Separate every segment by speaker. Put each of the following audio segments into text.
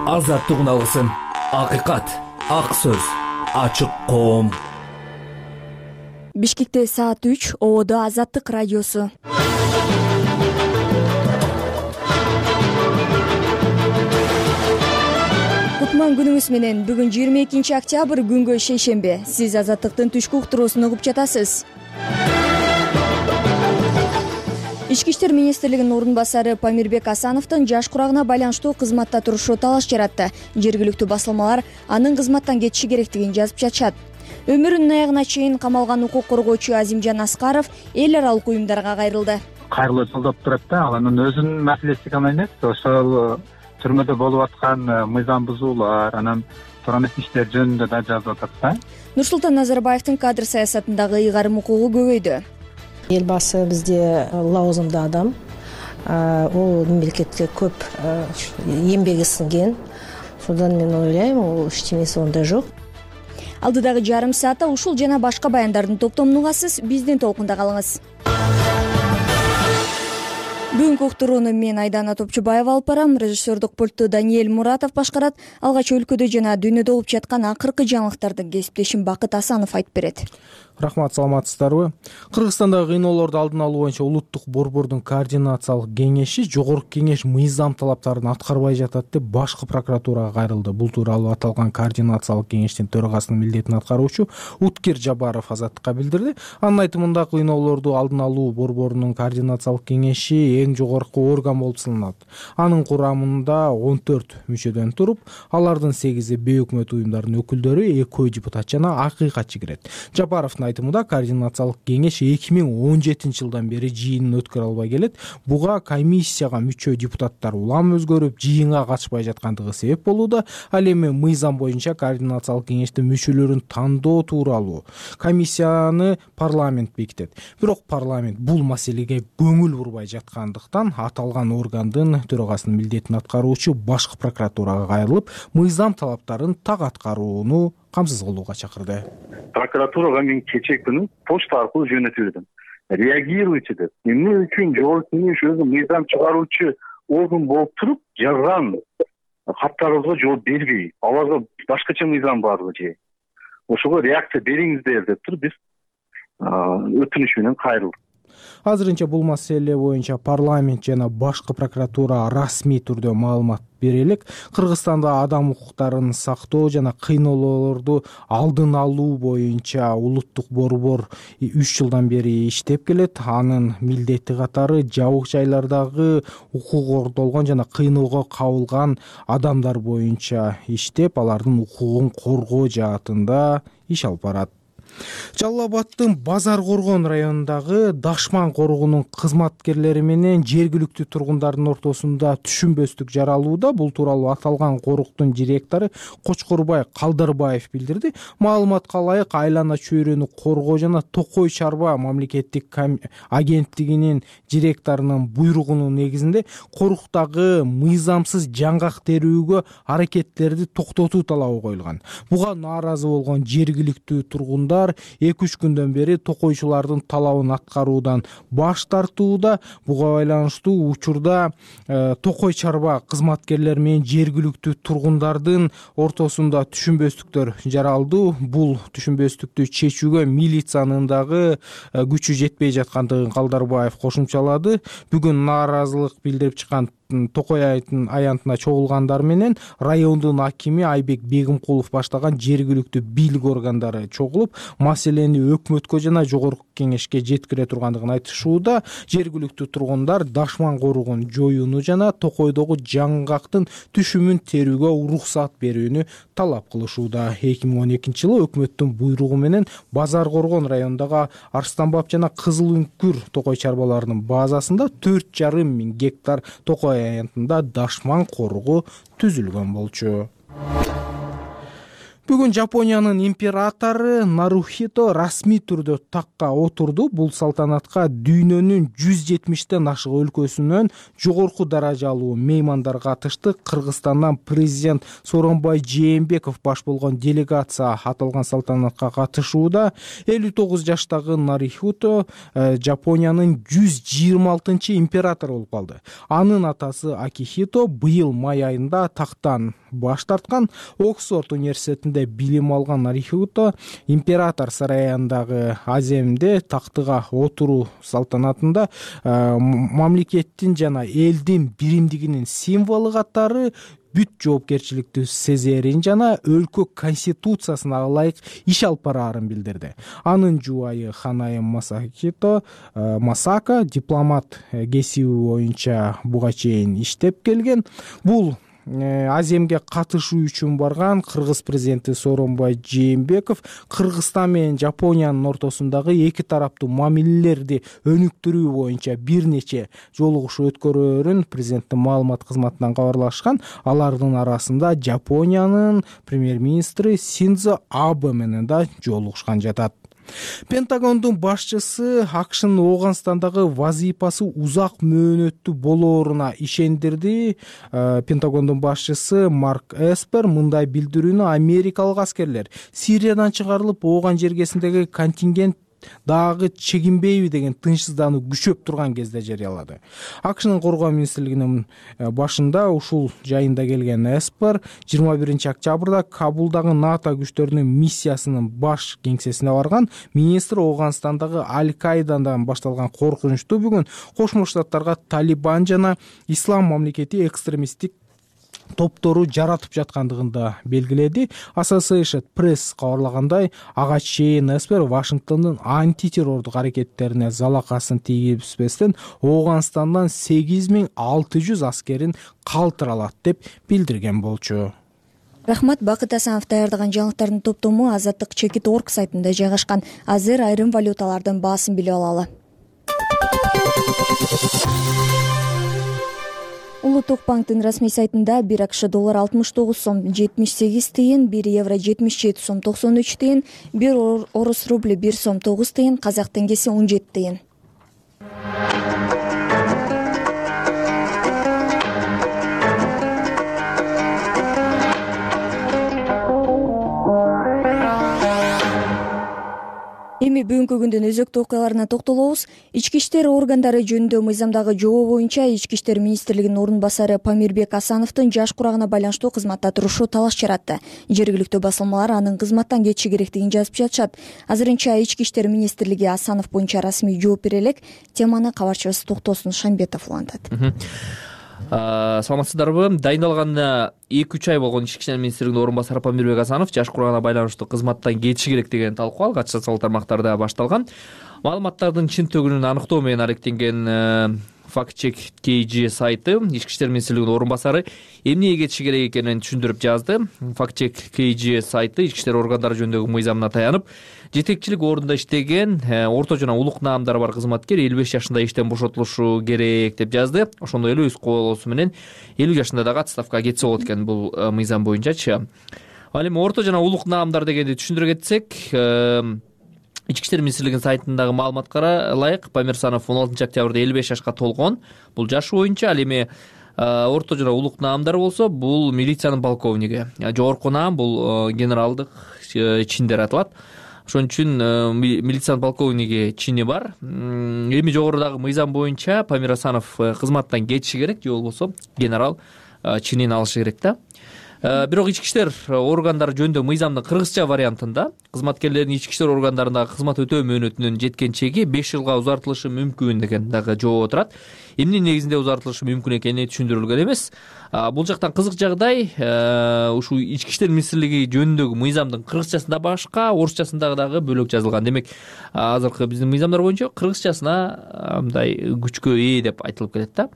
Speaker 1: Азаттык үналысын, акыйкат, ак сөз, ачык коом.
Speaker 2: Бишкекте саат 3, Ободо Азаттык радиосу. Кутман күнүңүз менен. Бүгүн 22 октябрь, күнгө шейшембе. Сиз Азаттыктын түшкү уктуруусун угуп жатасыз. Ички иштер министрлигинин орун басары Памирбек Асановдун жаш курагына байланыштуу кызматта турушу талаш жаратты. Жергиликтүү басылмалар анын кызматтан кетиши керектигин жазып жатышат. Өмүрүнүн аягына чейин камалган укук коргоочу Азимжан Аскаров эл аралык уюмдарга кайрылды.
Speaker 3: Кайрылуу жолдоп турат да, ал анын өзүнүн маселеси гана эмес, ошол түрмөдө болуп аткан мыйзам бузуулар, анан туура эмес иштер жөнүндө да жазып атат да.
Speaker 2: Нурсултан Назарбаевдин кадр саясатындагы ыйгарым укугу көбөйдү.
Speaker 4: Эл башы бизде лауазымдуу адам, ол мамлекетке көп эмбеги сиңген. Ошондон мен ойлойм, ол эчтемеси ондай жок.
Speaker 2: Алдыдагы жарым саатта ушул жана башка баяндардын топтомун угасыз. Биздин толкунда калыңыз. Бүгүнкү уктурууну мен Айдана Топчубаева алып барам. Режиссердук пультту Даниэль Муратов башкарат. Алгач өлкөдө жана дүйнөдө болуп жаткан акыркы жаңылыктарды кесиптешим Бакыт Асанов айтып берет.
Speaker 5: Рахмат, саламатсыздарбы? Кыргызстандагы кыйноолорду алдын алуу боюнча улуттук борбордун координациялык кеңеши Жогорку кеңеш мыйзам талаптарын аткарбай жатат деп башкы прокуратурага кайрылды. Бул тууралуу аталган координациялык кеңештин төрагасынын милдетин аткаруучу Уткер Жабаров Азаттыкка билдирди. Анын айтымында кыйноолорду алдын алуу борборунун координациялык кеңеши эң жогорку орган болуп саналат. Анын курамында 14 мүчөдөн туруп, алардын 8-и бейөкмөт уюмдардын өкүлдөрү, 2 депутат жана акыйкатчы кирет. Жабаровдун айтымында координациялык кеңеш 2017 жылдан бери жыйынын өткөрө албай келет. Буга комиссияга мүчө депутаттар улам өзгөрүп, жыйынга катышпай жаткандыгы себеп болууда. Ал эми мыйзам боюнча координациялык кеңештин мүчөлөрүн тандоо тууралуу комиссияны парламент бекитет. Бирок парламент бул маселеге көңүл бурбай жаткандыктан аталган органдын төрагасынын милдетин аткаруучу башкы прокуратурага кайрылып, мыйзам талаптарын так аткарууну камсыз кылууга чакырды.
Speaker 6: Прокуратурага мен кечээ күнү почта аркылуу жөнөтүлдүм. Реагируйте деп. Эмне үчүн Жогорку кеңеш өзү мыйзам чыгаруучу орган болуп туруп, жазган каттарыбызга жооп бербей, аларга башкача мыйзам барбы же? Ошого реакция бериңиздер деп туруп биз өтүнүш менен кайрылдык.
Speaker 5: Азырынча бул маселе боюнча парламент жана башкы прокуратура расмий түрдө маалымат бере элек. Кыргызстанда адам укуктарын сактоо жана кыйноолорду алдын алуу боюнча улуттук борбор 3 жылдан бери иштеп келет. Анын милдети катары жабык жайлардагы укук кордолгон жана кыйноого кабылган адамдар боюнча иштеп, алардын укугун коргоо жаатында иш алып барат. Жалал Абаддын Базар Коргон районундагы Дашман коругунун кызматкерлери менен жергиликтүү тургундардын ортосунда түшүнбөстүк жаралууда. Бул тууралуу аталган коруктун директору Кочкорбай Калдарбаев билдирди. Маалыматка ылайык, Айлана чөйрөнү коргоо жана Токой чарба мамлекеттик агенттигинин директорунун буйругунун негизинде коруктагы мыйзамсыз жаңгак терүүгө аракеттерди токтотуу талабы коюлган. Буга нааразы болгон жергиликтүү тургундар 2-3 күндөн бери токойчулардын талабын аткаруудан баш тартууда. Буга байланыштуу учурда Токой чарба кызматкерлери менен жергиликтүү тургундардын ортосунда түшүнбөстүктөр жаралды. Бул түшүнбөстүктү чечүүгө милициянын дагы күчү жетпей жаткандыгын Калдарбаев кошумчалады. Бүгүн нааразылык билдирип чыккан Токой аянтына чогулгандар менен райондун акими Айбек Бегимкулов баштаган жергиликтүү бийлик органдары чогулуп, маселени өкмөткө жана Жогорку кеңешке жеткире тургандыгын айтышууда. Жергиликтүү тургундар Дашман коругун жоюуну жана Токойдогу жаңгактын түшүмүн терүүгө уруксат берүүнү талап кылышууда. 2012 жылы өкмөттүн буйругу менен Базар Коргон районундагы Арстанбап жана Кызыл Үңкүр Токой чарбаларынын базасында 4,5 миң гектар Токой аянтында Дашман коругу түзүлгөн болчу. Бүгүн Жапониянын императору Нарухито расмий түрдө такка отурду. Бул салтанатка дүйнөнүн 170тен ашык өлкөсүнөн жогорку даражалуу меймандар катышты. Кыргызстандан президент Сооронбай Жээнбеков баш болгон делегация аталган салтанатка катышууда. 59 жаштагы Нарухито Жапониянын 126 императору болуп калды. Анын атасы Акихито быйыл май айында тактан баш тарткан. Оксфорд университетинде билим алган Нарухито император сарайындагы аземде тактыга отуруу салтанатында мамлекеттин жана элдин биримдигинин символу катары бүт жоопкерчиликти сезерин жана өлкө конституциясына ылайык иш алып бараарын билдирди. Анын жубайы Ханаe Масака дипломат кесиби боюнча буга чейин иштеп келген. Бул аземге катышуу үчүн барган Кыргыз президенти Сооронбай Жээнбеков Кыргызстан менен Жапониянын ортосундагы эки тараптуу мамилелерди өнүктүрүү боюнча бир нече жолугушуу өткөрөөрүн президенттин маалымат кызматынан кабарлашкан. Алардын арасында Жапониянын премьер-министри Синдзо Абэ менен да жолугушкан жатат. Пентагондун башчысы АКШнын Ооганстандагы вазыйпасы узак мөөнөттүү болооруна ишендирди. Пентагондун башчысы Марк Эспер мындай билдирүүнү америкалык аскерлер Сириядан чыгарылып Ооган жергесиндеги контингент дагы чегинбейби деген тынчсыздануу күчөп турган кезде жарыялады. АКШнын коргоо министрлигинин башында ушул жайында келген Эспер 21-октябрда Кабулдагы НАТО күчтөрүнүн миссиясынын баш кеңсесине барган. Министр Ооганстандагы Аль-Каидадан башталган коркунучту бүгүн Кошмо Штаттарга Талибан жана Ислам мамлекети экстремисттик топтору жаратып жаткандыгын да белгиледи. Associated Press кабарлагандай, ага чейин Эспер Вашингтондун антитеррордук аракеттерине залакасын тийгизбестен Ооганстандан 8600 аскерин калтыралат деп билдирген болчу.
Speaker 2: Рахмат. Бакыт Асанов даярдаган жаңылыктардын топтому Азаттык Чекит.org сайтында жайгашкан. Азыр айрым валюталардын баасын билип алалы. Улуттук банктын расмий сайтында 1 АКШ доллар 69 сом 78 тыйын, 1 евро 77 сом 93 тыйын, 1 орус рубли 1 сом 9 тыйын, казак теңгеси 17 тыйын. Эми бүгүнкү күндүн өзөктүү окуяларына токтолобуз. Ички иштер органдары жөнүндө мыйзамдагы жобо боюнча Ички иштер министрлигинин орун басары Памирбек Асановдун жаш курагына байланыштуу кызматта турушу талаш жаратты. Жергиликтүү басылмалар анын кызматтан кетиши керектигин жазып жатышат. Азырынча Ички иштер министрлиги Асанов боюнча расмий жооп бере элек. Теманы кабарчыбыз Токтосун Шамбетов улантат.
Speaker 1: Саламатсыздарбы? Дайындалган 2-3 ай болгон Ички иштер министрлигинин орун басары Памирбек Асанов жаш курагына байланыштуу кызматтан кетиши керек деген талкуу алгач социалдык тармактарда башталган. Маалыматтардын чын төгүнүн аныктоо менен аракеттенген Фактчек KG сайты Ички иштер министрлигинин орун басары эмнеге кетиши керек экенин түшүндүрүп жазды. Фактчек KG сайты ички иштер органдары жөнүндөгү мыйзамына таянып, жетекчилик ордунда иштеген орто жана улук наамдары бар кызматкер 55 жашында иштен бошотулушу керек деп жазды. Ошондой эле өз колоосу менен 50 жашында дагы отставкага кетсе болот экен бул мыйзам боюнчачы. Ал эми орто жана улук наамдар дегенди түшүндүрө кетсек, Ички иштер министрлигинин сайтындагы маалыматка ылайык Памир Асанов 16 октябрда 55 жашка толгон. Бул жашы боюнча. Ал эми орто жана улук наамдары болсо, бул милициянын полковниги. Жогорку наам бул генералдык чин деп аталат. Ошон үчүн милициянын полковниги чини бар. Эми жогорудагы мыйзам боюнча Памир Асанов кызматтан кетиши керек, же болбосо генерал чинин алышы керек да. Бирок ички иштер органдары жөнүндө мыйзамдын кыргызча вариантында кызматкерлердин ички иштер органдарындагы кызмат өтөө мөөнөтүнүн жеткен чеги 5 жылга узартылышы мүмкүн деген дагы жобо турат. Эмне негизинде узартылышы мүмкүн экени түшүндүрүлгөн эмес. Бул жактан кызык жагдай, ушул ички иштер министрлиги жөнүндөгү мыйзамдын кыргызчасында башка, орусчасында дагы бөлөк жазылган. Демек, азыркы биздин мыйзамдар боюнча кыргызчасына мындай күчкө ээ деп айтылып келет да.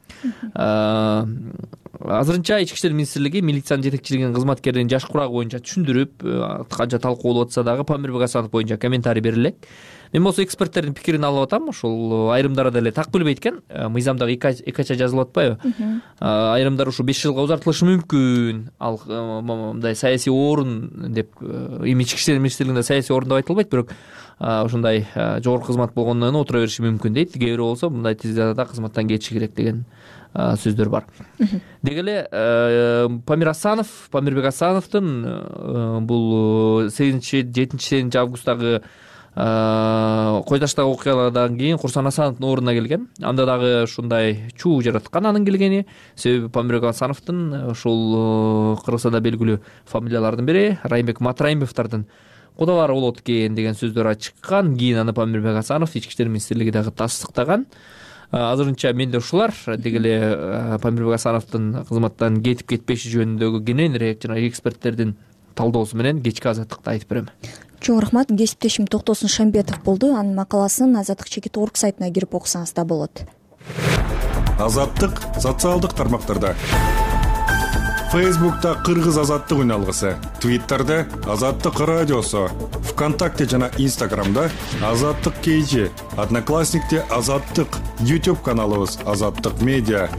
Speaker 1: Азырынча ички иштер министрлиги милициянын жетекчилигинин кызматкеринин жаш курагы боюнча түшүндүрүп, канча талкуу болуп атса дагы Памирбек Асанов боюнча комментарий бере элек. мен болсо эксперттердин пикирин алып атам. Ушул айрымдары деле так билбейт экен. Мыйзамдагы экача жазылып атпайбы? Айрымдар ушу 5 жылга узартылышы мүмкүн. Ал мындай саясий орун деп эми ички иштер министрлигинде саясий орун деп айтылбайт, бирок ушундай жогорку кызмат болгондон кийин отура бериши мүмкүн дейт. Кээ бирөө болсо мындай тизада кызматтан кетиши керек деген сөздөр бар. Деги эле Памирбек Асановдун бул 7-7 августтагы кой таштагы окуялардан кийин Курсан Асановдун ордуна келген. Анда дагы ушундай чуу жараткан анын келгени. Себеби Памирбек Асановдун ушул Кыргызстанда белгилүү фамилиялардын бири Райымбек Матраимовдордун кудалары болот экен деген сөздөр чыккан. Кийин аны Памирбек Асанов ички иштер министрлиги дагы тастыктаган. Азырынча менде ушулар. Деги эле Памирбек Асановдун кызматтан кетип кетпеши жөнүндөгү кененирээк жана эксперттердин талдоосу менен кечки Азаттыкта айтып берем.
Speaker 2: Чоң рахмат. Кесиптешим Токтосун Шамбетов болду. Анын макаласын Азаттык /org сайтына кирип окусаңыз да болот.
Speaker 7: Азаттык социалдык тармактарда. Фейсбукта Кыргыз Азаттык үналгысы, Твиттерде Азаттык радиосу, ВКонтакте жана Инстаграмда Азаттык KG, Одноклассникте Азаттык, YouTube каналыбыз Азаттык медиа.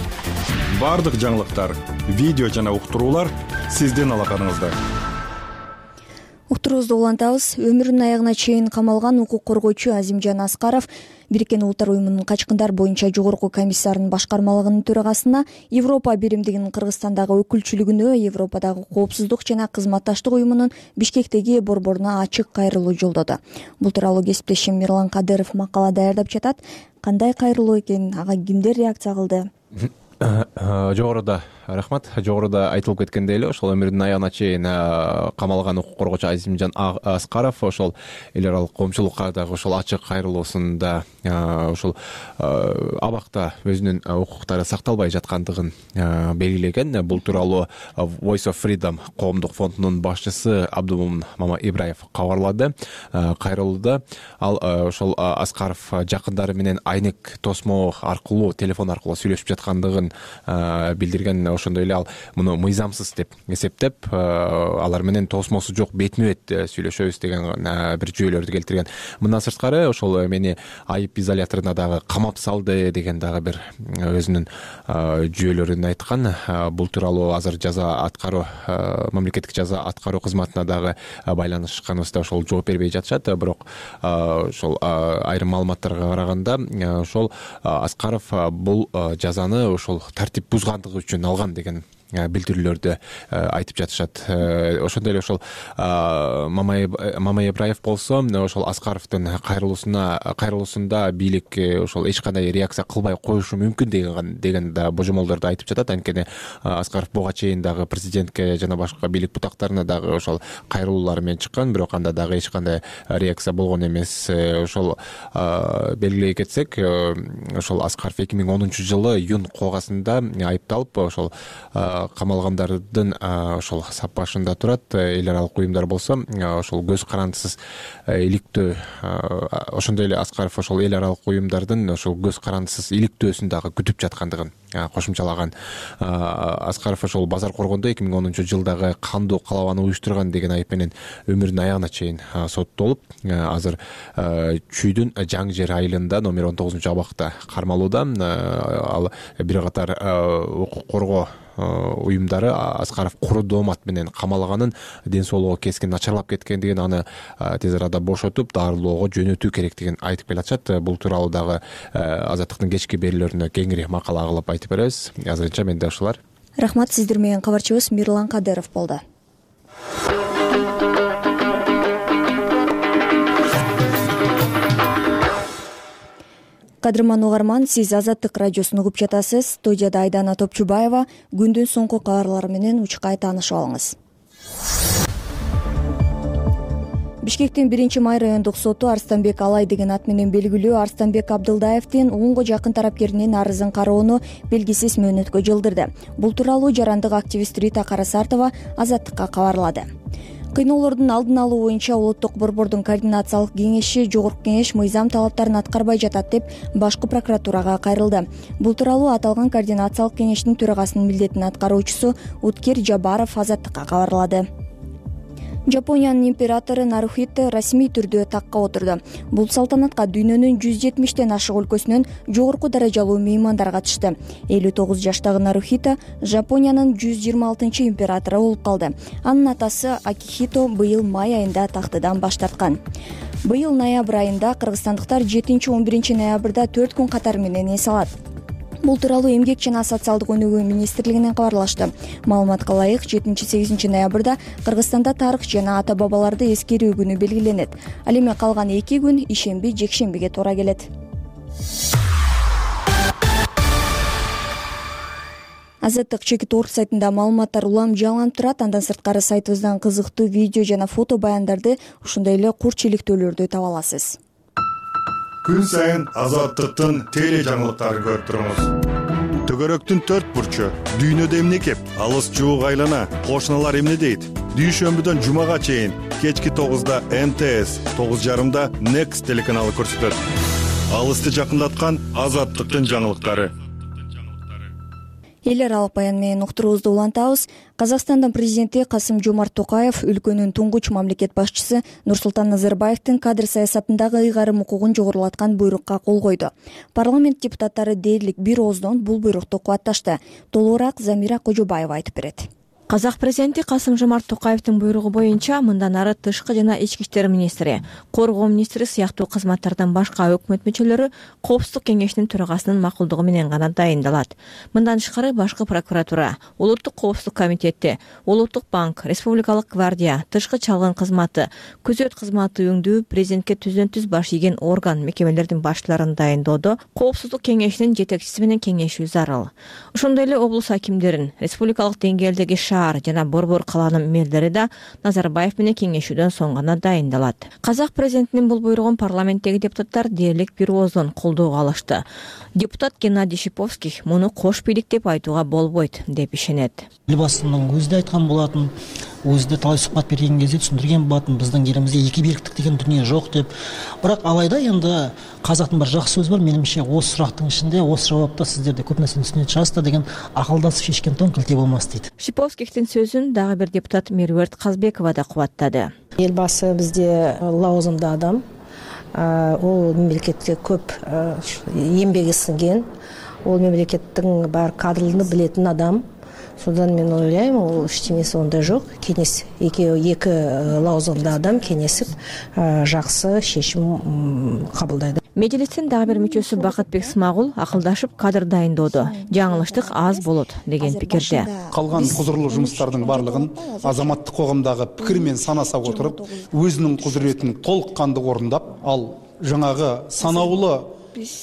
Speaker 7: Бардык жаңылыктар, видео жана уктуруулар сиздин алаканыңызда.
Speaker 2: Уктуруубузду улантабыз. Өмүрүнүн аягына чейин камалган укук коргоочу Азимжан Аскаров Бириккен Улуттар уюмунун качкындар боюнча жогорку комиссарынын башкармалыгынын төрагасына, Европа биримдигинин Кыргызстандагы өкүлчүлүгүнө, Европадагы коопсуздук жана кызматташтык уюмунун Бишкектеги борборуна ачык кайрылуу жолдоду. Бул тууралуу кесиптешим Мирлан Кадыров макала даярдап жатат. Кандай кайрылуу экен, ага кимдер реакция кылды?
Speaker 8: Жогоруда рахмат. Жогоруда айтылып кеткендей эле, ошол өмүрүнүн аягына чейин камалган укук коргоочу Азимжан Аскаров ошол эл аралык коомчулукка дагы ошол ачык кайрылуусунда ошол абакта өзүнүн укуктары сакталбай жаткандыгын белгилеген. Бул тууралуу Voice of Freedom коомдук фондунун башчысы Абдумомун Мамаибраев кабарлады. Кайрылууда ал ошол Аскаров жакындары менен айнек тосмо аркылуу, телефон аркылуу сүйлөшүп жаткандыгын билдирген. Ошондой эле ал муну мыйзамсыз деп эсептеп, алар менен тосмосу жок бетме-бет сүйлөшөбүз деген бир жүйөлөрдү келтирген. Мындан сырткары ошол мени айып изоляторуна дагы камап салды деген дагы бир өзүнүн жүйөлөрүн айткан. Бул тууралуу азыр жаза аткаруу, мамлекеттик жаза аткаруу кызматына дагы байланышканыбызда ошол жооп бербей жатышат. Бирок ошол айрым маалыматтарга караганда ошол Аскаров бул жазаны ошол тартип бузгандыгы үчүн алган деген билдирүүлөрдү айтып жатышат. Ошондой эле ошол Мамаибраев болсо ошол Аскаровдун кайрылуусунда бийлик ошол эч кандай реакция кылбай коюшу мүмкүн деген да божомолдорду айтып жатат. Анткени Аскаров буга чейин дагы президентке жана башка бийлик бутактарына дагы ошол кайрылуулары менен чыккан, бирок анда дагы эч кандай реакция болгон эмес. Ошол белгилей кетсек, ошол Аскаров 2010-жылы июнь когасында айыпталып ошол камалгандардын ошол саппашында турат. Эл аралык уюмдар болсо ошол көз карандысыз иликтөө, ошондой эле Аскаров ошол эл аралык уюмдардын ошол көз карандысыз иликтөөсүн дагы күтүп жаткандыгын кошумчалаган. Аскаров ошол базар коргондо 2010-жылдагы кандуу калабаны уюштурган деген айып менен өмүрүнүн аягына чейин соттолуп, азыр Чүйдүн Жаң жер айылында номер 19-абакта кармалууда. Ал бир катар укук коргоо уюмдары Аскаров куру доомат менен камалганын, ден соолугу кескин начарлап кеткендигин, аны тез арада бошотуп дарылоого жөнөтүү керектигин айтып келатышат. Бул тууралуу дагы Азаттыктын кечки берүүлөрүнө кеңири макала кылып айтып беребиз. Азырынча менде ушулар.
Speaker 2: Рахмат. Сиздер менен кабарчыбыз Мирлан Кадыров болду. Кадырман угарман, сиз Азаттык радиосун угуп жатасыз. Студияда Айдана Топчубаева. Күндүн соңку кабарлары менен учкай таанышып алыңыз. Бишкектин 1-Май райондук соту Арстанбек Алай деген ат менен белгилүү Арстанбек Абдылдаевдин 10 жакын тарапкеринин арызын кароону белгисиз мөөнөткө жылдырды. Бул тууралуу жарандык активист Рита Карасартова Азаттыкка кабарлады. Кыйноолордун алдын алуу боюнча улуттук борбордун координациялык кеңеши Жогорку кеңеш мыйзам талаптарын аткарбай жатат деп башкы прокуратурага кайрылды. Бул тууралуу аталган координациялык кеңештин төрагасынын милдетин аткаруучусу Уткер Жабаров Азаттыкка кабарлады. Жапониянын императору Нарухито расмий түрдө такка отурду. Бул салтанатка дүйнөнүн 170тен ашык өлкөсүнөн жогорку даражалуу меймандар катышты. 59 жаштагы Нарухито Жапониянын 126 императору болуп калды. Анын атасы Акихито быйыл май айында тактыдан баш тарткан. Быйыл ноябрь айында кыргызстандыктар 7-11 ноябрда 4 күн катары менен эс алат. Бул тууралуу Эмгек жана социалдык өнүгүү министрлигинен кабарлашты. Маалыматка ылайык 7-8 ноябрда Кыргызстанда тарых жана ата бабаларды эскерүү күнү белгиленет. Ал эми калган 2 күн ишемби, жекшембиге туура келет. Азаттык.org сайтында маалыматтар улам жаланып турат. Андан сырткары сайтыбыздан кызыктуу видео жана фото баяндарды, ошондой эле курч иликтөөлөрдү таба аласыз.
Speaker 7: Күн сайын Азаттыктын теле жаңылыктарын көрүп туруңуз. Төгөрөктүн 4 бурчу, дүйнөдө эмне кеп, алыс жуук айлана, кошуналар эмне дейт? Дүйшөмбүдөн жумага чейин кечки 9да МТС, 9:30да Next телеканалы көрсөтөт. Алысты жакындаткан Азаттыктын жаңылыктары.
Speaker 2: Эл аралык баян менен уктуруубузду улантабыз. Казакстандын президенти Касым-Жомарт Токаев өлкөнүн туңгуч мамлекет башчысы Нурсултан Назарбаевдин кадр саясатындагы ыйгарым укугун жогорулаткан буйрукка кол койду. Парламент депутаттары дээрлик бир ооздон бул буйрукту кубатташты. Толугураак Замира Кожобаева айтып берет.
Speaker 9: Казак президенти Касым-Жомарт Токаевдин буйругу боюнча мындан ары тышкы жана ички иштер министри, коргоо министри сыяктуу кызматтардан башка өкмөт мүчөлөрү Коопсуздук кеңешинин төрагасынын макулдугу менен гана дайындалат. Мындан тышкары башкы прокуратура, Улуттук коопсуздук комитети, Улуттук банк, Республикалык гвардия, тышкы чалгын кызматы, күзөт кызматы өңдүү президентке түздөн-түз баш ийген орган мекемелердин башчыларын дайындоодо Коопсуздук кеңешинин жетекчиси менен кеңешүү зарыл. Ошондой эле облус акимдерин, республикалык деңгээлдеги шаар жана борбор калаанын мэрлери да Назарбаев менен кеңешүүдөн соң гана дайындалат. Казак президентинин бул буйругун парламенттеги депутаттар дээрлик бир ооздон колдоого алышты. Депутат Геннадий Шиповских муну кош бийлик деп айтууга болбойт деп ишенет.
Speaker 10: Элбасынын өзү да айткан болатын, өзү да талай сухбат берген кезде түшүндүргөн болатын, биздин жерибизде эки бийликтик деген дүнүйө жок деп. Бирок алайда енді казактын бир жакшы сөзү бар, менимче осы сурактын ичинде, осы жабапта сиздер көп нерсени түшүнө чыгасыздар деген акылдасып шешкен тоң кылте болмас дейт.
Speaker 9: Шиповскихтин сөзүн дагы бир депутат Меруерт Казбекова да кубаттады.
Speaker 4: Элбасы бизде лауазымдуу адам, ол мемлекетке көп эмбеги сиңген, ол мемлекеттин бар кадрларын билетин адам. Содан мен ойлайм, ол эчтемеси онда жок. Кеңес эки лауазымдуу адам кеңесип жакшы чечим кабылдайды.
Speaker 9: Мejлистин дагы бир мүчөсү Бакытбек Смагул акылдашып кадр дайындоодо жаңылыштык аз болот деген пикирде.
Speaker 11: Калган кузурлуу жумуштардын барлыгын азаматтык коомдогу пикир менен санасап отуруп, өзүнүн кудуретин толук кандуу орундап, ал жаңагы санаулуу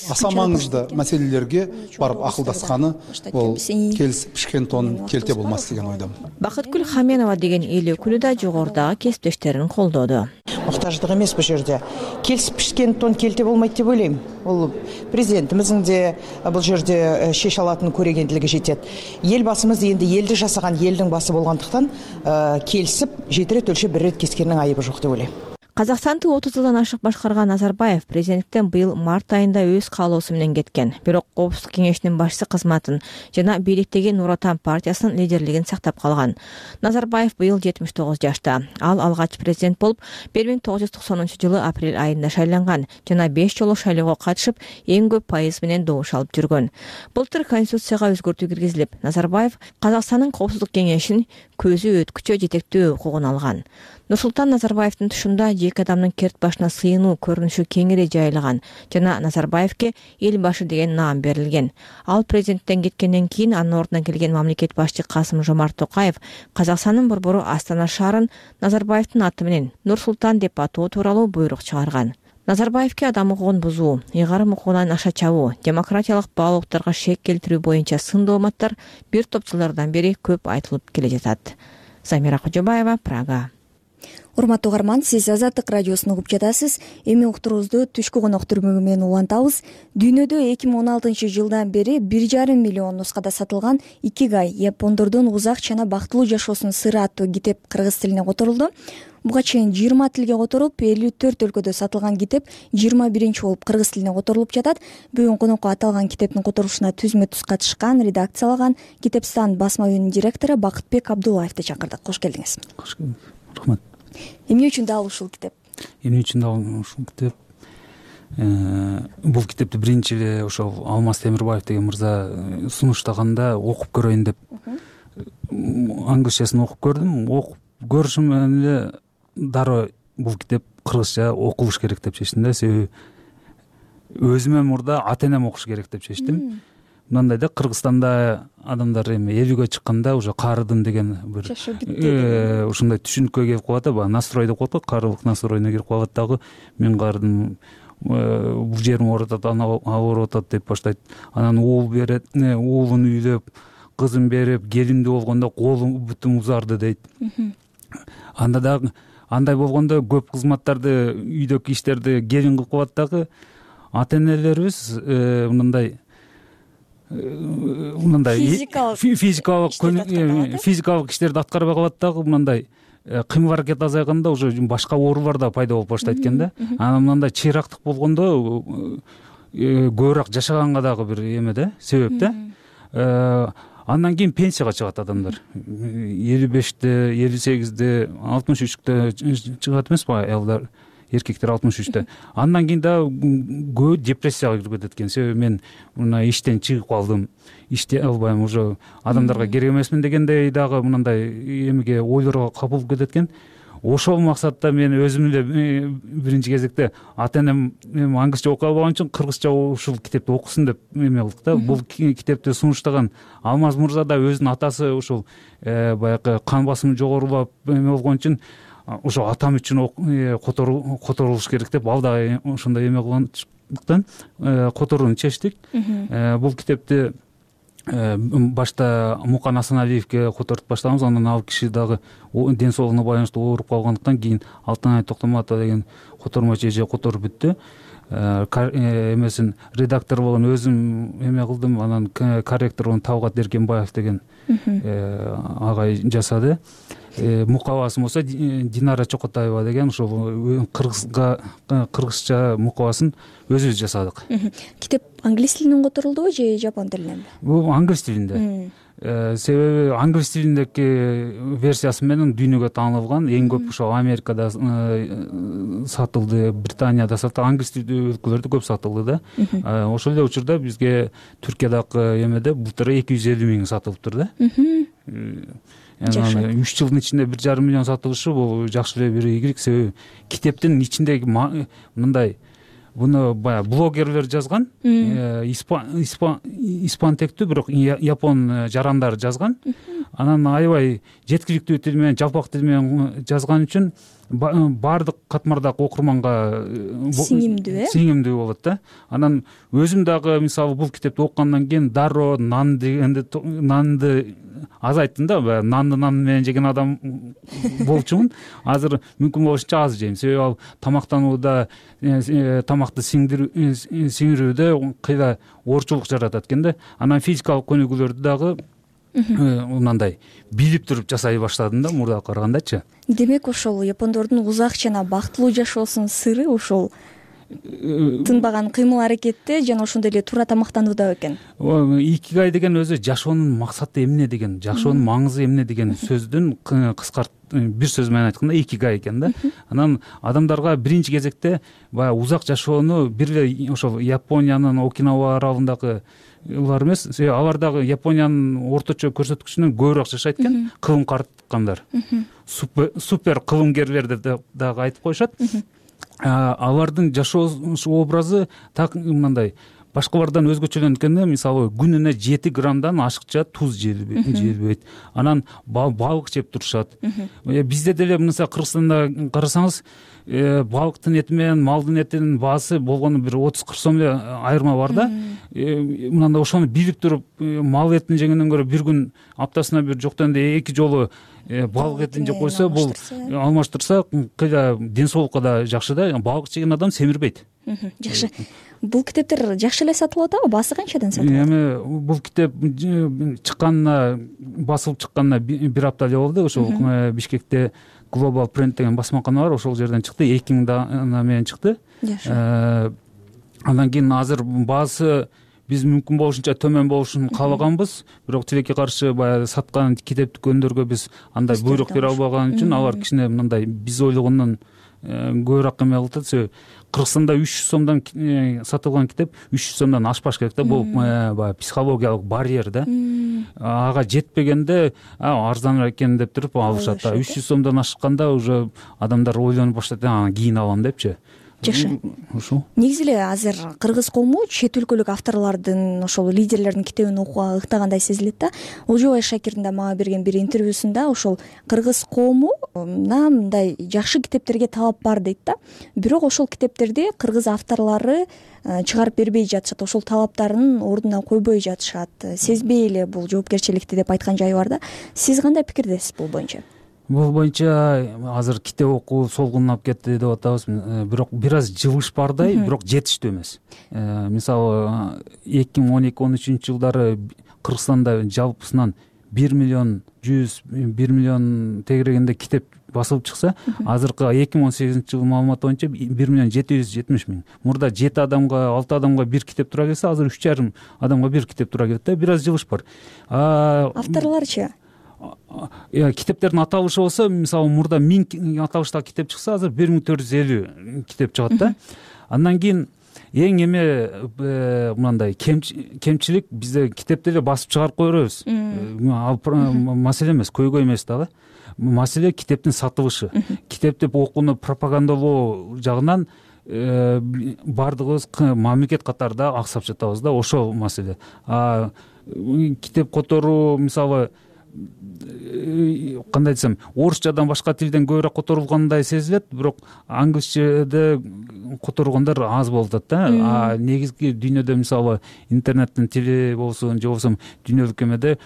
Speaker 11: аса маңызды маселелерге барып акылдасканы ол келип пишкен тон келте болмас деген ойдомун.
Speaker 9: Бакыткүл Хаменова деген эл өкүлү да жогорудагы кесиптештерин колдоду.
Speaker 12: Муктаждык эмес бул жерде. Келип пишкен тон келте болмойт деп ойлойм. Бул президентимиздин де бул жерде шеше алатын көрөгендилиги жетет. Эл басымыз энди элди жасаган элдин басы болгондуктан келисип жетирет өлчөп бир рет кескенин айыбы жок деп ойлойм.
Speaker 9: Казакстанды 30 жылдан ашык башкарган Назарбаев президенттен быйыл март айында өз каалоосу менен кеткен. Бирок Коопсуздук кеңешинин башчысы кызматын жана бийликтеги Нур Отан партиясынын лидерлигин сактап калган. Назарбаев быйыл 79 жашта. Ал алгач президент болуп 1990-жылы апрель айында шайланган жана 5 жолу шайлоого катышып, эң көп пайыз менен добуш алып жүргөн. Былтыр конституцияга өзгөртүү киргизилип, Назарбаев Казакстандын Коопсуздук кеңешин көзү өткүчө жетектөө укугун алган. Нурсултан Назарбаевдин тушунда жеке адамдын керт башына сыйынуу көрүнүшү кеңири жайылган жана Назарбаевке эл башы деген наам берилген. Ал президенттен кеткенден кийин анын ордуна келген мамлекет башчы Касым-Жомарт Токаев Казакстандын борбору Астана шаарын Назарбаевдин аты менен Нурсултан деп атоо тууралуу буйрук чыгарган. Назарбаевке адам укугун бузуу, ыйгарым укугунан аша чабуу, демократиялык баалуулуктарга шек келтирүү боюнча сын дооматтар бир топ жылдардан бери көп айтылып келе жатат. Замира Кожобаева, Прага.
Speaker 2: Урматтуу угарман, сиз Азаттык радиосун угуп жатасыз. Эми уктуруубузду түшкү конок түрмөгү менен улантабыз. Дүйнөдө 2016-жылдан бери 1,5 миллион нускада сатылган Икигай япондордун узак жана бактылуу жашоосунун сыры аттуу китеп кыргыз тилине которулду. Буга чейин 20 тилге которуп, 54 өлкөдө сатылган китеп 21-чи болуп кыргыз тилине которулуп жатат. Бүгүн конокко аталган китептин которулушуна түзмө-түз катышкан, редакциялаган Китепстан басма үйүнүн директору Бакытбек Абдуллаевди чакырдык. Кош келдиңиз.
Speaker 13: Кош келдиңиз. Рахмат.
Speaker 2: Эмне үчүн дал ушул китеп?
Speaker 13: Эмне үчүн дал ушул китеп? Бул китепти биринчи эле ошол Алмаз Темирбаев деген мырза сунуштаганда окуп көрөйүн деп англисчасын окуп көрдүм. Окуп көрүшүм менен эле дароо бул китеп кыргызча окулуш керек деп чечтим да. Себеби өзүмө мурда ата энем окуш керек деп чечтим. Мындай да, Кыргызстанда адамдар эми эл үйгө чыкканда уже карыдым деген бир ушундай түшүнүккө келип калат да, баягы настрой деп коет го, карылык настройуна кирип калат дагы. Мен карыдым, бул жерим ооруп атат, ана ооруп атат деп баштайт. Анан уул берет, уулун үйлөп, кызын берип, келиндүү болгондо колум бүтүм узарды дейт. Анда дагы андай болгондо көп кызматтарды, үйдөгү иштерди келин кылып калат дагы. Ата энелерибиз мындай физикалык иштерди аткарбай калат дагы. Мындай кыймыл аракет азайганда уже башка оорулар да пайда болуп баштайт экен да. Анан мындай чыйрактык болгондо көбүрөөк жашаганга дагы бир эме да, себеп да. Андан кийин пенсияга чыгат адамдар. 55-те, 58-де, 63-те чыгат эмеспи аялдар, эркектер 63-те. Андан кийин да көбү депрессияга кирип кетет экен. Себеби мен мына иштен чыгып калдым, иштей албайм, уже адамдарга керек эмесмин дегендей дагы мындай эмеге ойлорго капылып кетет экен. Ошол максатта мен өзүм эле биринчи кезекте ата энем англисче окуй албаган үчүн кыргызча ушул китепти окусун деп эме кылдык да. Бул китепти сунуштаган Алмаз мырза да өзүнүн атасы ушул баягы кан басымы жогорулап эме болгон үчүн ошо атам үчүн которулуш керек деп ал дагы ошондой эме кылгандыктан которууну чечтик. Бул китепти башта Мукан Асаналиевке которуп баштаганбыз. Анан ал киши дагы ден соолугуна байланыштуу ооруп калгандыктан кийин Алтынай Токтоматова деген котормочу эже которуп бүттү. Эмесин редактор болгон өзүм эме кылдым. Анан корректорун Талгат Эркенбаев деген агай жасады. Мукабасын болсо Динара Чокотаева деген ошол кыргызча мукабасын өзүбүз жасадык.
Speaker 2: Китеп англис тилинен которулдубу же жапон тилиненби?
Speaker 13: Бул англис тилинде. Себеби англис тилиндеги версиясы менен дүйнөгө таанылган. Эң көп ошо Америкада сатылды, Британияда сатылды, англис тилдүү өлкөлөрдө көп сатылды да. Ошол эле учурда бизге Түркиядагы эмеде былтыр 250 миң сатылыптыр да. 3 жылдын ичинде 1,5 миллион сатылышы бул жакшы эле бир ийгилик. Себеби китептин ичиндеги мындай, буну баягы блогерлер жазган, испан тектүү, бирок япон жарандар жазган. Анан аябай жеткиликтүү тил менен, жалпак тил менен жазган үчүн баардык катмардагы окурманга сиңимдүү болот да. Анан өзүм дагы мисалы бул китепти окугандан кийин дароо нанды азайттым да. Нан менен жеген адам болчумун. Азыр мүмкүн болушунча аз жейм. Себеби ал тамактанууда, тамакты сиңирүүдө кыйла оорчулук жаратат экен да. Анан физикалык көнүгүүлөрдү дагы мындай билип туруп жасай баштадым да, мурдага карагандачы.
Speaker 2: Демек ошол япондордун узак жана бактылуу жашоосунун сыры ошол тынбаган кыймыл аракетте жана ошондой эле туура тамактанууда экен.
Speaker 13: Икигай деген өзү жашоонун максаты эмне деген, жашоонун маңызы эмне деген сөздүн бир сөз менен айтканда икигай экен да. Анан адамдарга биринчи кезекте баягы узак жашоону бир эле ошол Япониянын Окинава аралындагы улар эмес, алар дагы Япониянын орточо көрсөткүчүнөн көбүрөөк жашайт экен. Кылым карткандар, супер кылымгерлер деп дагы айтып коюшат. Алардын жашоо образы так мындай башкалардан өзгөчөлөнөт экен да. Мисалы күнүнө 7 граммдан ашыкча туз жебейт. Анан балык жеп турушат. Бизде деле мына Кыргызстанда карасаңыз, балыктын эти менен малдын этинин баасы болгону бир 30-40 сом эле айырма бар да. Мындай ошону билип туруп, мал этин жегенден көрө бир күн аптасына бир жоктон эле 2 жолу балык этин жеп койсо, бул алмаштырса кыйла ден соолукка да жакшы да. Балык жеген адам семирбейт.
Speaker 2: Жакшы. Бул китептер жакшы эле сатылып атабы? Баасы канчадан сатылат?
Speaker 13: Эми бул китеп чыкканына, басылып чыкканына бир апта эле болду. Ошол Бишкекте Global Print деген басмакана бар, ошол жерден чыкты. 2000 дана менен чыкты. Андан кийин азыр баасы биз мүмкүн болушунча төмөн болушун каалаганбыз, бирок тилекке каршы баягы саткан китеп дүкөндөргө биз андай буйрук бере албаган үчүн алар кичине мындай биз ойлогондон көбүрөөк эме кылып атат. Себеби Кыргызстанда 300 сомдон сатылган китеп 300 сомдон ашпаш керек да. Бул баягы психологиялык барьер да. Ага жетпегенде арзаныраак экен деп туруп алышат. 300 сомдон ашканда уже адамдар ойлонуп баштайт, анан кийин алам депчи.
Speaker 2: Жакшы.
Speaker 13: Ушул.
Speaker 2: Негизи эле азыр кыргыз коому чет өлкөлүк авторлордун, ошол лидерлердин китебин окууга ыктагандай сезилет да. Олжобай Шакирдин да мага берген бир интервьюсунда ошол кыргыз коомуна мындай жакшы китептерге талап бар дейт да. Бирок ошол китептерди кыргыз авторлору чыгарып бербей жатышат, ошол талаптарын ордуна койбой жатышат. Сезбей эле бул жоопкерчиликти деп айткан жайы бар да. Сиз кандай пикирдесиз бул боюнча?
Speaker 13: Бул боюнча азыр китеп окуу солгунлап кетти деп атабыз. Бирок бир аз жылыш бардай, бирок жетиштүү эмес. Мисалы 2012-13 жылдары Кыргызстанда жалпысынан 1 миллион тегерегинде китеп басылып чыкса, азыркы 2018 жылы маалымат боюнча 1 миллион 770 миң. Мурда 7 адамга, 6 адамга бир китеп тура келсе, азыр 3,5 адамга бир китеп тура келет да. Бир аз жылыш бар.
Speaker 2: Авторлорчу
Speaker 13: китептердин аталышы болсо, мисалы мурда 1000 аталыштагы китеп чыкса, азыр 1450 китеп чыгат да. Андан кийин эң эме мындай кемчилик, бизде китепти эле басып чыгарып кое беребиз. Маселе эмес, көйгөй эмес дагы. Маселе китептин сатылышы. Китепти окууну пропагандалоо жагынан бардыгыбыз мамлекет катарда аксап жатабыз да, ошол маселе. Китеп которуу, мисалы кандай десем, орусчадан башка тилден көбүрөөк которулгандай сезилет, бирок англисчеде которулгандар аз болуп атат да. Негизги дүйнөдө мисалы интернеттин тили болсун, же болбосо дүйнөлүк эмеде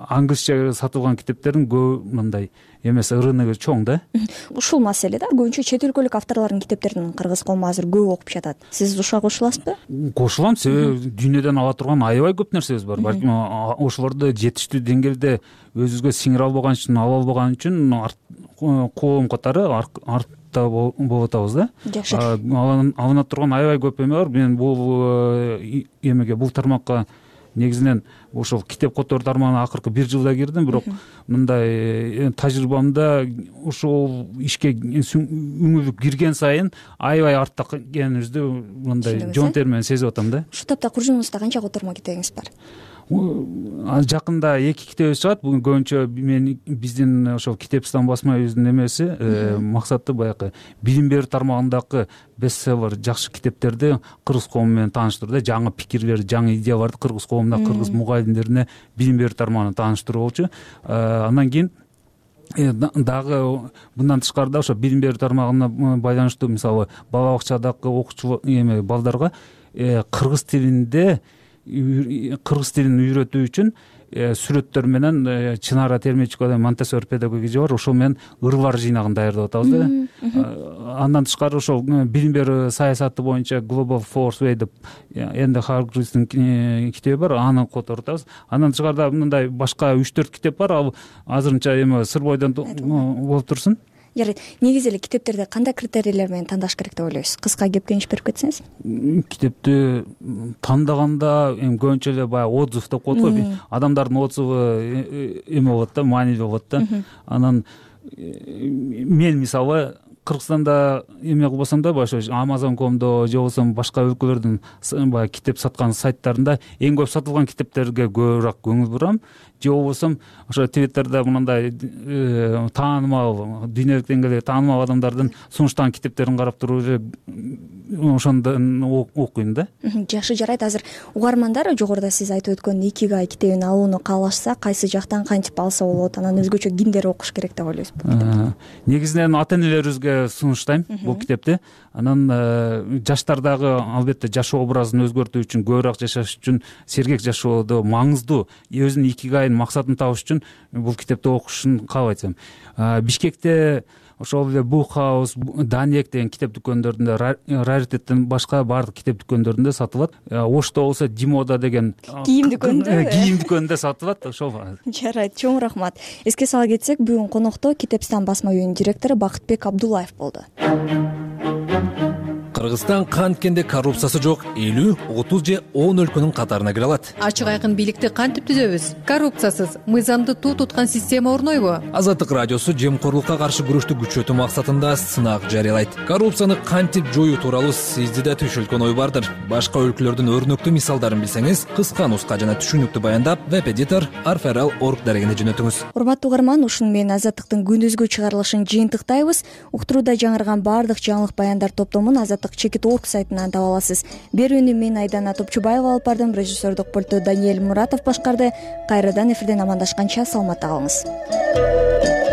Speaker 13: англисче сатылган китептердин көп мындай эмес, рыногу чоң да.
Speaker 2: Ушул маселе да, көбүнчө чет өлкөлүк авторлордун китептерин кыргыз коому азыр көп окуп жатат. Сиз ушуга кошуласызбы?
Speaker 13: Кошулам, себеби дүйнөдөн ала турган аябай көп нерсебиз бар. Балким ошолорду жетиштүү деңгээлде өзүбүзгө сиңире албаган үчүн, ала албаган үчүн коом катары артта болуп атабыз да.
Speaker 2: Жакшы.
Speaker 13: Алына турган аябай көп эме бар. Мен бул эмеге, бул тармакка негизинен ошол китеп которуу тармагына акыркы 1 жылда кирдим, бирок мындай тажрыйбамда ошол ишке үңүлүп кирген сайын аябай артта экенибизди мындай жоонтер менен сезип атам да.
Speaker 2: Ушул тапта куржунубузда канча котормо китебиңиз бар?
Speaker 13: Жакында 2 китебибиз чыгат. Бүгүн көбүнчө биздин ошол Китепстан басма үйүнүн эмеси, максаты баягы билим берүү тармагындагы бестселлер жакшы китептерди кыргыз коому менен тааныштыруу да, жаңы пикирлер, жаңы идеяларды кыргыз коомуна, кыргыз мугалимдерине билим берүү тармагына тааныштыруу болчу. Андан кийин дагы мындан тышкары да ошо билим берүү тармагына байланыштуу, мисалы бала бакчадагы окуучу балдарга кыргыз тилин үйрөтүү үчүн сүрөттөр менен Чынара Термечикова Монтессори педагогия бар, ошол менен ырлар жыйнагын даярдап атабыз да. Андан тышкары ошол билим берүү саясаты боюнча Global Force Way деп Энди Харгривстин китеби бар, аны которуп атабыз. Андан тышкары да мындай башка 3-4 китеп бар, ал азырынча эме сыр бойдон болуп турсун.
Speaker 2: Жарайт. Негизи эле китептерди кандай критерийлер менен тандаш керек деп ойлойсуз? Кыска кеп кеңеш берип кетсеңиз.
Speaker 13: Китепти тандаганда көбүнчө эле баягы отзыв деп коет го. Адамдардын отзывы эме болот да, маанилүү болот да. Анан мен мисалы Кыргызстанда эме кылбасам да, ошо Amazon.com'до же болбосо башка өлкөлөрдүн баягы китеп саткан сайттарында эң көп сатылган китептерге көбүрөөк көңүл бурам. Же болбосо ошо Twitter'да мындай таанымал, дүйнөлүк деңгээлде таанымал адамдардын сунуштаган китептерин карап туруп эле ошондон окуйм да.
Speaker 2: Жакшы, жарайт. Азыр угармандар жогоруда сиз айтып өткөн Икигай китебин алууну каалашса, кайсы жактан кантип алса болот? Анан өзгөчө кимдер окуш керек деп ойлойсузбу?
Speaker 13: Негизинен ата-энелерибизге сунуштайм бул китепти. Анан жаштардагы албетте жашоо образын өзгөртүү үчүн, көбүрөөк жашаш үчүн, сергек жашоодо маңыздуу өзүнүн икигайын максатын табыш үчүн бул китепти окушун каалайт. Бишкекте ошол эле Бухаус, Даниек деген китеп дүкөндөрүндө, Раритеттен башка баардык китеп дүкөндөрүндө сатылат. Ошто болсо Димода деген
Speaker 2: кийим
Speaker 13: дүкөндө сатылат. Ошол.
Speaker 2: Жарайт, чоң рахмат. Эске сала кетсек, бүгүн конокто Китепстан басма үйүнүн директору Бакытбек Абдуллаев болду.
Speaker 14: Кыргызстан канткенде коррупциясы жок 50, 30 же 10 өлкөнүн катарына кире алат.
Speaker 15: Ачык айкын бийликти кантип түзөбүз? Коррупциясыз, мыйзамды туу туткан система орнойбу?
Speaker 14: Азаттык радиосу жемкорлукка каршы күрөштү күчөтүү максатында сынак жарыялайт. Коррупцияны кантип жоюу тууралуу сизде да түшүлгөн ой бардыр. Башка өлкөлөрдүн өрнөктүү мисалдарын билсеңиз, кыска нуска жана түшүнүктүү баяндап веб-эдитор arferal.org дарегине жөнөтүңүз.
Speaker 2: Урматтуу угарман, ушуну менен Азаттыктын күндүзгү чыгарылышын жыйынтыктайбыз. Уктурууда жаңырган баардык жаңылык баяндар топтомун Азаттык Чекит.org сайтынан таба аласыз. Берүүнү мен Айдана Топчубаева алып бардым. Режиссердик пульту Даниэль Муратов башкарды. Кайрадан эфирден амандашканча саламатта калыңыз.